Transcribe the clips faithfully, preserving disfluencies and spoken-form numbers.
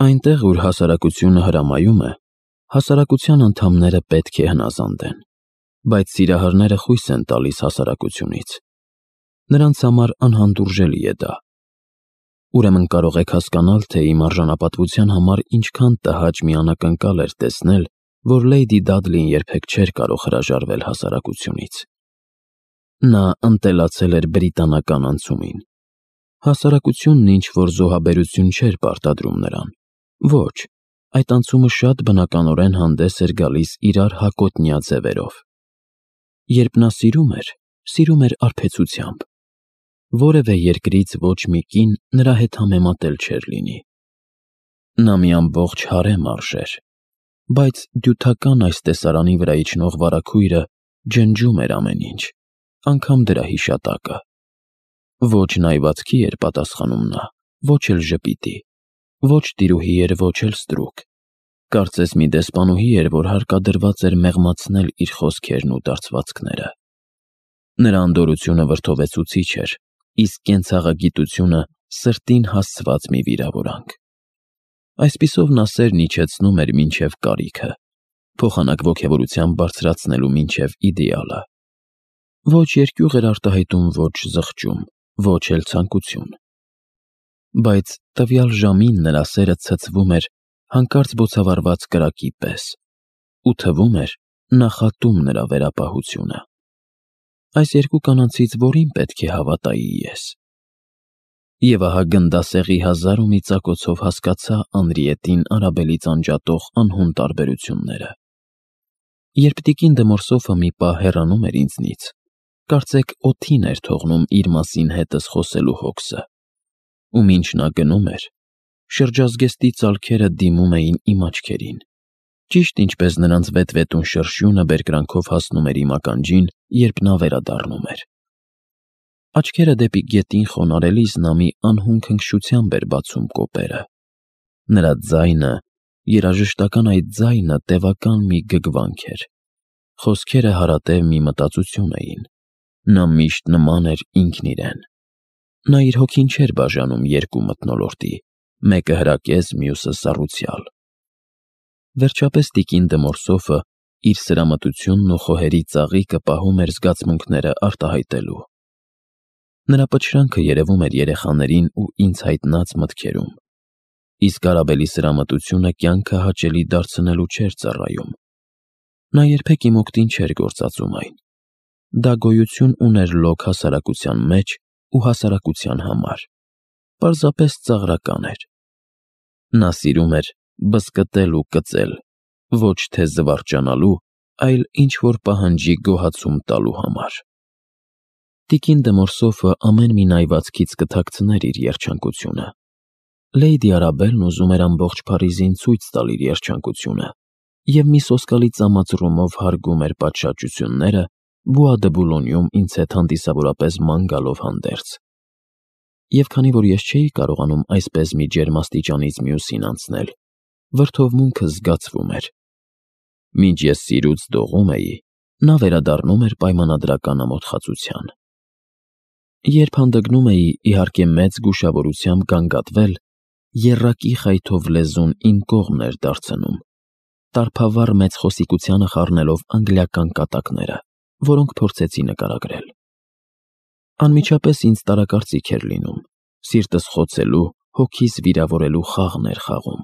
Այնտեղ, ուր հասարակությունը հրամայում է, հասարակության անդամները պետք է հնազանդեն, բայց սիրահարները խույս են տալիս հասարակությունից։ Նրանց համար անհանդուրժելի է դա։ Ուրեմն կարող եք հասկանալ, թե իմ արժանապատվության համար ինչքան տհաճ մի անակնկալ էր տեսնել, որ Լեյդի Դադլին երբեք չէր կարող հրաժարվել հասարակությունից։ Նա ընտելացել էր բրիտանական անցումին։ Հասարակությունն ինչ-որ զոհաբերություն չէր պարտադրում նրան։ Ոչ, այդ անցումը շատ բնականորեն հանդես էր գալիս իրար հակոտնյա ձևերով։ Երբ նա սիրում էր, սիրում էր արբեցությամբ։ Որևէ երկրից ոչ մի կին նրա հետ համեմատել չէր լինի։ Նա մի ամբողջ հարեմ արժեր, բայց դյութական այս տեսարանի վրա իջնող վարագույրը ջնջում էր ամեն ինչ, անգամ դրա հիշատակը։ Ոչ նայվածքի էր պատասխանում նա, ոչ էլ ժպիտի, ոչ տիրուհի էր, ոչ էլ ստրուկ։ Կարծես մի դեսպանուհի էր, որ հարկադրված էր մեղմացնել իր խոսքերն ու դարձվածքները։ Նրա անդորրությունը վրդովեցուցիչ էր, իսկ կենցաղագիտությունը սրտին հասցված մի վիրավորանք։ Այսպիսով նա սերն իջեցնում էր մինչև կարիքը, փոխանակ ոգևորությամբ բարձրացնելու մինչև իդեալը։ Ոչ երկյուղ էր արտահայտում, ոչ զղջում, ոչ էլ ցանկություն։ Բայց տվյալ ժամին նրա սերը ցցվում էր հանկարծ բոցավառված կրակի պես, ու թվում էր նախատում նրա վերապահությունը։ Այս երկու կանանցից որին պետք է հավատայի ես։ Եվ ահա գնդասեղի հազար ու մի ծակոցով հասկացա Անրիետին Արաբելից անջատող անհուն տարբերությունները։ Երբ տիկին դե Մորսոֆը մի պահ հեռանում էր ինձնից, կարծեք օդին էր թողնում իր մասին հետս խոսելու հոգսը, ու մինչ նա գնում էր, շրջազգեստի ծալքերը դիմում էին իմ աչքերին, ճիշտ ինչպես նրանց վետվետուն շրշյունը բերկրանքով հասնում էր իմ ականջին, երբ նա վերադառնում էր։ Աչքերը դեպի գետին խոնարհելիս նա մի անհուն քնքշությամբ էր բացում կոպերը։ Նրա ձայնը, երաժշտական այդ ձայնը տևական մի գգվանք էր։ Խոսքերը հարատև մի մտածություն էին։ Նա միշտ նման էր ինքն իրեն։ Նա իր հոգին չէր բաժանում երկու մթնոլորտի, մեկը հրակեզ, մյուսը սառուցյալ։ Վերջապես տիկին դե Մորսոֆը իր սրամտությունն ու խոհերի ծաղիկը պահում էր զգացմունքները արտահայտելու։ Նրա պչրանքը երևում էր երեխաներին ու ինձ հայտնած մտքերում, իսկ Արաբելի սրամտությունը կյանքը հաճելի դարձնելու չէր ծառայում։ Նա երբեք իմ օգտին չէր գործածում այն։ Դա գոյություն ուներ լոկ հասարակության մեջ ու հասարակության համար։ Պարզապես ծաղրական էր։ Նա սիրում էր բզկտել ու կծել, ոչ թե զվարճանալու, այլ ինչ-որ պահանջի գոհացում տալու համար։ Տիկին դե Մորսոֆը ամեն մի նայվածքից կթաքցներ իր երջանկությունը։ Լեյդի Արաբելն ուզում էր ամբողջ Փարիզին ցույց տալ իր երջանկությունը և մի սոսկալի ծամածռումով հարգում էր պատշաճությունները Բուա դե Բուլոնյում ինձ հետ հանդիսավորապես ման գալով հանդերձ։ Եվ քանի որ ես չէի կարողանում այսպես մի ջերմաստիճանից մյուսին անցնել, վրդովմունքը զգացվում էր։ Մինչ ես սիրուց դողում էի, նա վերադառնում էր պայմանադրական ամոթխածության։ Երբ հանդգնում էի, իհարկե մեծ զգուշավորությամբ գանգատվել, եռակի խայթով լեզուն իմ կողմն էր դարձնում, տարբավառ մեծ խոսիկությանը խառնելով անգլիական կատակները, որոնք փորձեցի նկարագրել։ Անմիջապես ինձ տարակարծիք էր լինում, սիրտս խոցելու, հոգիս վիրավորելու խաղն էր խաղում,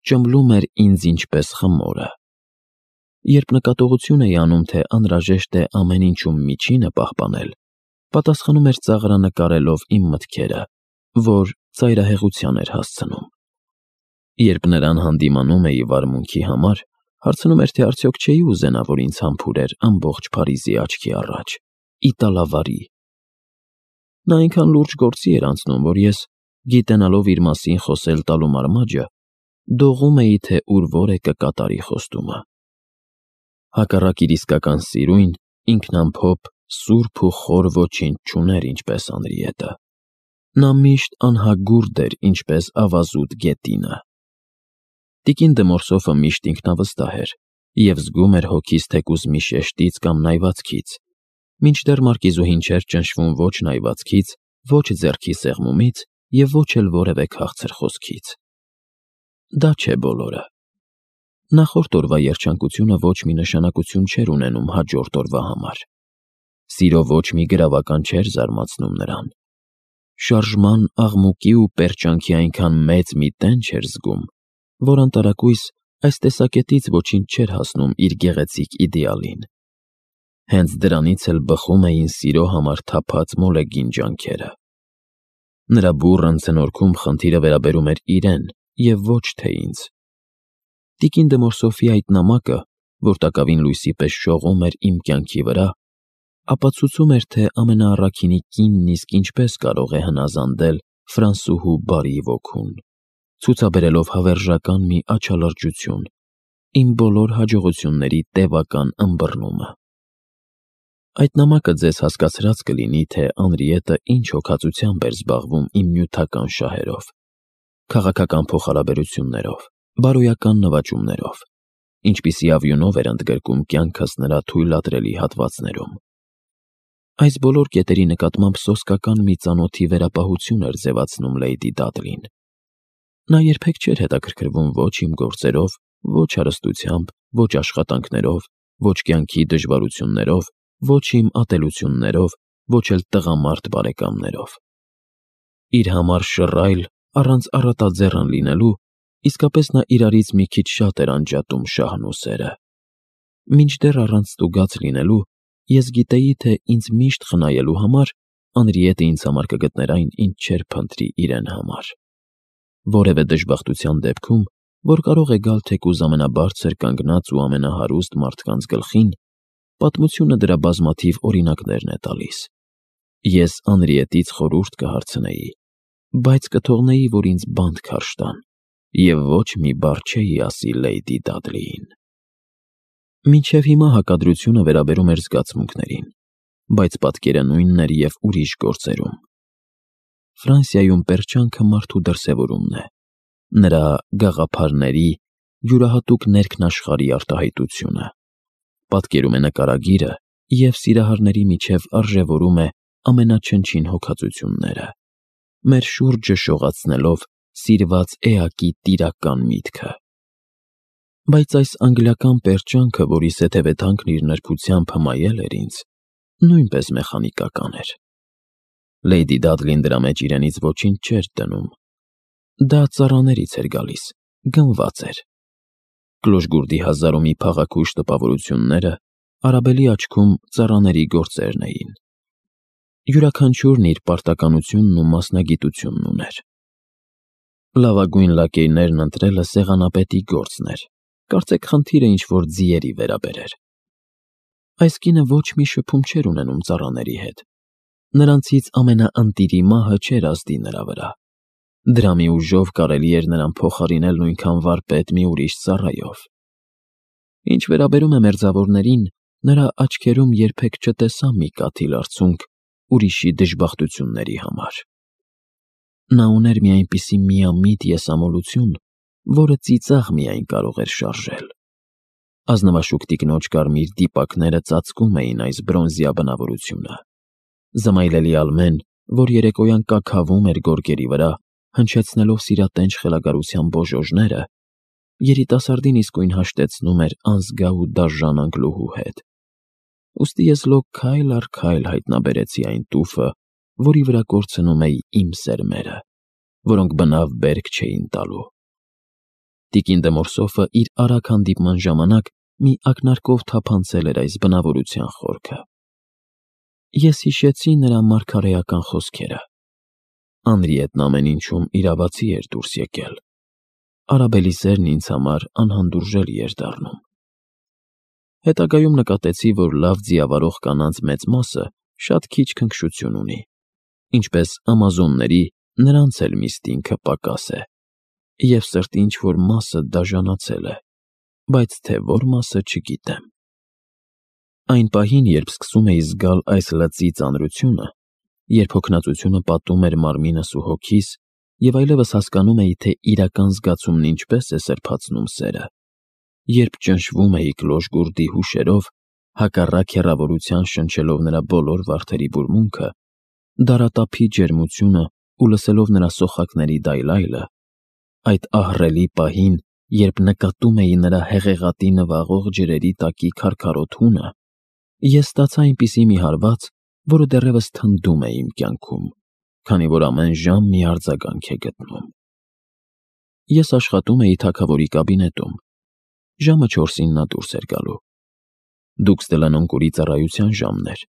ճմլում էր ինձ ինչպես խմորը։ Երբ նկատողություն էի անում, թե անհրաժեշտ է ամեն ինչում միջինը պահպանել, պատասխանում էր ծաղրանկարելով իմ մտքերը, որ ծայրահեղության էր հասցնում։ Երբ նրան հանդիմանում էի վարմունքի համար, հարցնում էր, թե արդյոք չէի ուզենա, որ ինձ համբուրեր ամբողջ Փարիզի աչքի առաջ, իտալավարի։ Նա այնքան լուրջ գործի էր անցնում, որ ես, գիտենալով իր մասին խոսել տալու մարմաճը, դողում էի, թե ուր որ է կկատարի խոստումը։ Հակառակ իր իսկական սիրույն, ինքնամփոփ, սուրբ ու խոր ոչինչ չուներ, ինչպես Անրիետը։ Նա միշտ անհագուրդ էր, ինչպես ավազուտ գետինը։ Տիկին դե Մորսոֆը միշտ ինքնավստահ էր և զգում էր հոգիս թեկուզ մի շեշտից կամ նայվածքից, մինչդեռ մարկիզուհին չէր ճնշվում ոչ նայվածքից, ոչ ձեռքի սեղմումից և ոչ էլ որևէ քաղցր խոսքից։ դա չէ բոլորը։ Նախորդ օրվա երջանկությունը ոչ մի նշանակություն չէր ունենում հաջորդ օրվա համար։ Սիրո ոչ մի գրավական չէր զարմացնում նրան։ Շարժման, աղմուկի ու պերճանքի այնքան մեծ մի տեն չէր զգում, որ անտարակույս այս տեսակետից ոչինչ չէր հասնում իր գեղեցիկ իդեալին։ Հենց դրանից էլ բխում էին սիրո համար թափած մոլեգին ջանքերը։ Նրա բուռն ցնորքում խնդիրը վերաբերում էր իրեն և ոչ թե ինձ։ Տիկին դե Մորսոֆի այդ նամակը, որ տակավին լույսի պես շողում էր իմ կյանքի վրա, ապացուցում էր, թե ամենաառաքինի կինն իսկ ինչպես կարող է հնազանդել ֆրանսուհու բարի ոգուն, ցուցաբերելով հավերժական մի աչալրջություն, իմ բոլոր հաջողությունների տևական ըմբռնումը։ Այդ նամակը ձեզ հասկացրած կլինի, թե Անրիետը ինչ հոգածությամբ էր զբաղվում իմ նյութական շահերով, քաղաքական փոխհարաբերություններով, բարոյական նվաճումներով, ինչպիսի ավյունով էր ընդգրկում կյանքս նրա թույլատրելի հատվածներում։ Այս բոլոր կետերի նկատմամբ սոսկական մի ծանոթի վերապահություն էր ձևացնում Լեյդի Դադլին։ Նա երբեք չէր հետաքրքրվում ոչ իմ գործերով, ոչ հարստությամբ, ոչ աշխատանքներով, ոչ կյանքի դժվարություններով, ոչ իմ ատելություններով, ոչ էլ տղամարդ բարեկամներով։ Իր համար շռայլ, առանց առատաձեռն լինելու, իսկապես նա իրարից մի քիչ շատ էր անջատում շահն ու սերը։ Մինչդեռ առանց ստուգած լինելու, ես գիտեի, թե ինձ միշտ խնայելու համար Անրիետը ինձ համար կգտներ այն, ինչ չէր փնտրի իրեն համար։ Որևէ դժբախտության դեպքում, որ կարող է գալ թեկուզ ամենաբարձր կանգնած ու ամենահարուստ մարդկանց գլխին, պատմությունը դրա բազմաթիվ օրինակներն է տալիս։ Ես Անրիետից խորհուրդ կհարցնեի, բայց կթողնեի, որ ինձ բանտ քարշ տան, և ոչ մի բառ չէի ասի Լեյդի Դադլիին։ Մինչև հիմա հակադրությունը վերաբերում էր զգացմունքներին, բայց պատկերը նույնն էր և ուրիշ գործերում։ Ֆրանսիայում պերճանքը մարդու դրսևորումն է, նրա գաղափարների, յուրահատուկ ներքնաշխարհի արտահայտությունը։ Պատկերում է նկարագիրը և սիրահարների միջև արժևորում է ամենաչնչին հոգածությունները, մեր շուրջը շողացնելով սիրված էակի տիրական միտքը։ Բայց այս անգլիական պերճանքը, որի սեթևեթանքն իր նրբությամբ հմայել էր ինձ, նույնպես մեխանիկական էր։ Լեյդի Դադլին դրա մեջ իրենից ոչինչ չէր դնում։ Դա ծառաներից էր գալիս, գնված էր։ Կլոշգուրդի հազար ու մի փաղաքուշ տպավորությունները Արաբելի աչքում ծառաների գործերն էին։ Յուրաքանչյուրն իր պարտականությունն ու մասնագիտությունն ուներ։ Լավագույն լակեյներն ընտրելը սեղանապետի գործն էր, կարծեք խնդիրը ինչ-որ ձիերի վերաբերեր։ Այս կինը ոչ մի շփում չէր ունենում ծառաների հետ։ Նրանցից ամենաընտիրի մահը չէր ազդի նրա վրա։ Դրամի ուժով կարելի էր նրան փոխարինել նույնքան վարպետ մի ուրիշ ծառայով։ Ինչ վերաբերում է մերձավորներին, նրա աչքերում երբեք չտեսա մի կաթիլ արցունք ուրիշի դժբախտությունների համար։ Նա ուներ մի այնպիսի միամիտ եսամոլություն, որը ծիծաղ միայն կարող էր շարժել։ Ազնվաշուք տիկնոջ կարմիր դիպակները ծածկում էին այս բրոնզյա բնավորությունը։ Զմայլելի ալմեն, որ երեկոյան կաքավում էր գորգերի վրա, հնչեցնելով սիրատենչ խելագարության բոժոժները, երիտասարդին իսկույն հաշտեցնում էր անզգա ու դաժան անգլուհու հետ։ Ուստի ես լոկ քայլ առ քայլ հայտնաբերեցի այն տուֆը, որի վրա կորցնում էի իմ սերմերը, որոնք բնավ բերք չէին տալու։ Տիկին դե Մորսոֆը իր արագ հանդիպման ժամանակ մի ակնարկով թափանցել էր այս բնավորության խորքը։ Ես հիշեցի նրա մարգարեական խոսքերը։ Անրիետն ամեն ինչում իրավացի էր դուրս եկել։ Արաբելի սերն ինձ համար անհանդուրժելի էր դառնում։ Հետագայում նկատեցի, որ լավ ձիավարող կանանց մեծ մասը շատ քիչ քնքշություն ունի, ինչպես ամազոնների, նրանց էլ միստինգը պակաս է, և սրտի ինչ-որ մասը դաժանացել է, բայց թե որ մասը չգիտեմ։ Այն պահին, երբ սկսում էի զգալ այս լծի ծանրությունը, երբ հոգնածությունը պատում էր մարմինս ու հոգիս, և այլևս հասկանում էի, թե իրական զգացումն ինչպես է սրբացնում սերը, երբ ճնշվում էի կլոշգուրդի հուշերով, հակառակ հեռավորության շնչելով նրա բոլոր վարդերի բուրմունքը, դարատափի ջերմությունը ու լսելով նրա սոխակների դայլայլը, այդ ահռելի պահին, երբ նկատում էի նրա հեղեղատի նվաղող ջրերի տակի քարքարոտ հունը, ես ստացա այնպիսի մի հարված, որը դեռևս թնդում է իմ կյանքում, քանի որ ամեն ժամ մի արձագանք է գտնում։ Ես աշխատում էի թագավորի կաբինետում։ Ժամը չորսին նա դուրս էր գալու։ Դուքս Դելանոնկուրի ծառայության ժամն էր։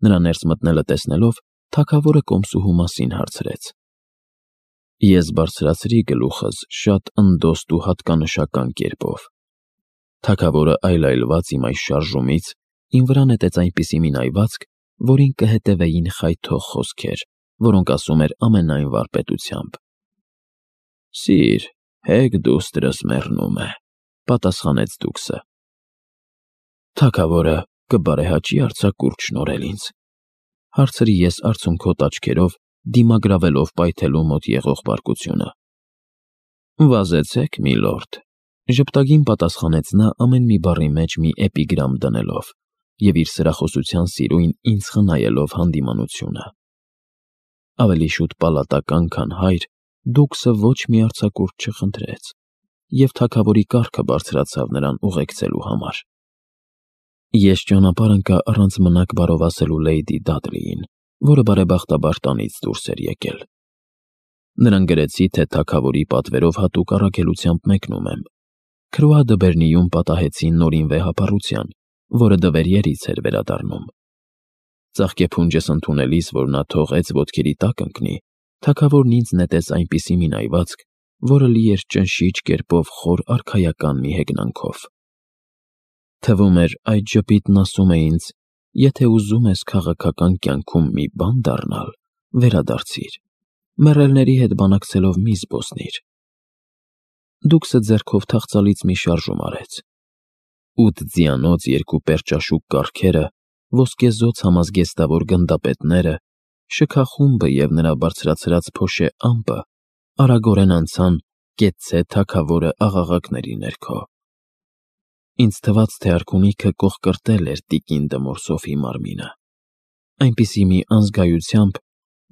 Նրա ներս մտնելը տեսնելով, թագավորը կոմսուհու մասին հարցրեց։ Ես բարձրացրի գլուխս շատ ընդոստ ու հատկանշական կերպով։ Թագավորը այլայլված իմ այս շարժումից իմ վրա նետեց այնպիսի մի նայվածք, որին կհետևեին խայթող խոսքեր, որոնք ասում էր ամենայն վարպետությամբ։ Սիր, հեգ դուստրս մեռնում է, պատասխանեց դուքսը։ Թագավորը կբարեհաճի արձակուրդ շնորհել ինձ, հարցրի ես արցունքոտ աչքերով, դիմագրավելով պայթելու մոտ եղող բարկությունը։ Վազեցեք, միլորդ, ժպտագին պատասխանեց նա ամեն մի բառի մեջ մի էպիգրամ դնելով և իր սրախոսության սիրույն ինձ խնայելով հանդիմանությունը։ Ավելի շուտ պալատական, քան հայր, դուքսը ոչ մի արձակուրդ չխնդրեց, և թագավորի կառքը բարձրացավ նրան ուղեկցելու համար։ Ես ճանապարհ ընկա առանց մնաք բարովասելու լեյդի Դադլիին, որը բարեբախտաբար տանից դուրս էր եկել։ Նրան գրեցի, թե թագավորի պատվերով հատուկ առաքելությամբ մեկնում եմ։ Քրուա դը Բերնիում պատահեցին նորին վեհապառության, որը դվերիերից էր վերադառնում։ Ծաղկեփունջս ընդունելիս, որ նա թողեց ոտքերի տակ ընկնի, թագավորն ինձ նետեց այնպիսի մի նայվածք, որը լի էր ճնշիչ կերպով խոր արքայական մի հեգնանքով։ Թվում էր, այդ ժպիտն ասում է ինձ. եթե ուզում ես քաղաքական կյանքում մի բան դառնալ, վերադարձիր, մեռելների հետ բանակցելով մի զբոսնիր։ Դուքսը ձեռքով թախծալից մի շարժում արեց։ Ութ ձիանոց երկու պերճաշուք կառքերը, ոսկեզօծ համազգեստավոր գնդապետները, շքախումբը և նրա բարձրացրած փոշե ամպը արագորեն անցան կեցցե թագավորը աղաղակների ներքո։ Ինձ թվաց, թե արքունիքը կոխկրտել էր տիկին Դմորսոֆի մարմինը, այնպիսի մի անզգայությամբ,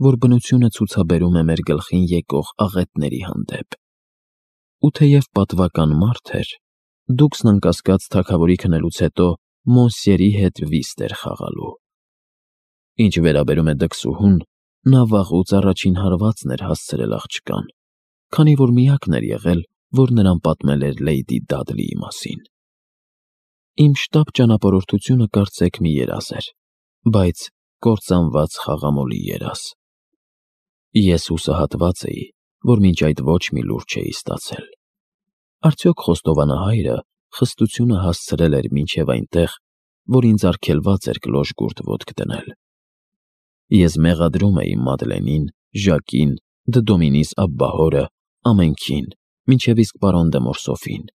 որ բնությունը ցուցաբերում է մեր գլխին եկող աղետների հանդեպ։ Ու թեև պատվական մարդ էր, դուքսն անկասկած թագավորի քնելուց հետո Մոնսյերի հետ վիստ էր խաղալու։ Ինչ վերաբերում է դքսուհուն, նա վաղուց առաջին հարվածն էր հասցրել աղջկան, քանի որ միակն էր եղել, որ նրան պատմել էր լեյդի Դադլիի մասին։ Իմ շտապ ճանապարհորդությունը կարծեք մի երազ էր, բայց կործանված խաղամոլի երազ։ Ես հուսահատված էի, որ մինչ այդ ոչ մի լուր չէի ստացել։ Արդյոք խոստովանահայրը խստությունը հասցրել էր մինչև այնտեղ, որ ինձ արգելված էր կլոժ-գուրդ ոտք դնել։ Ես մեղադրում էի Մադլենին, Ժակին, Դդոմինիս աբբահորը, ամենքին, մինչև իսկ պարոն Դեմորսոֆին։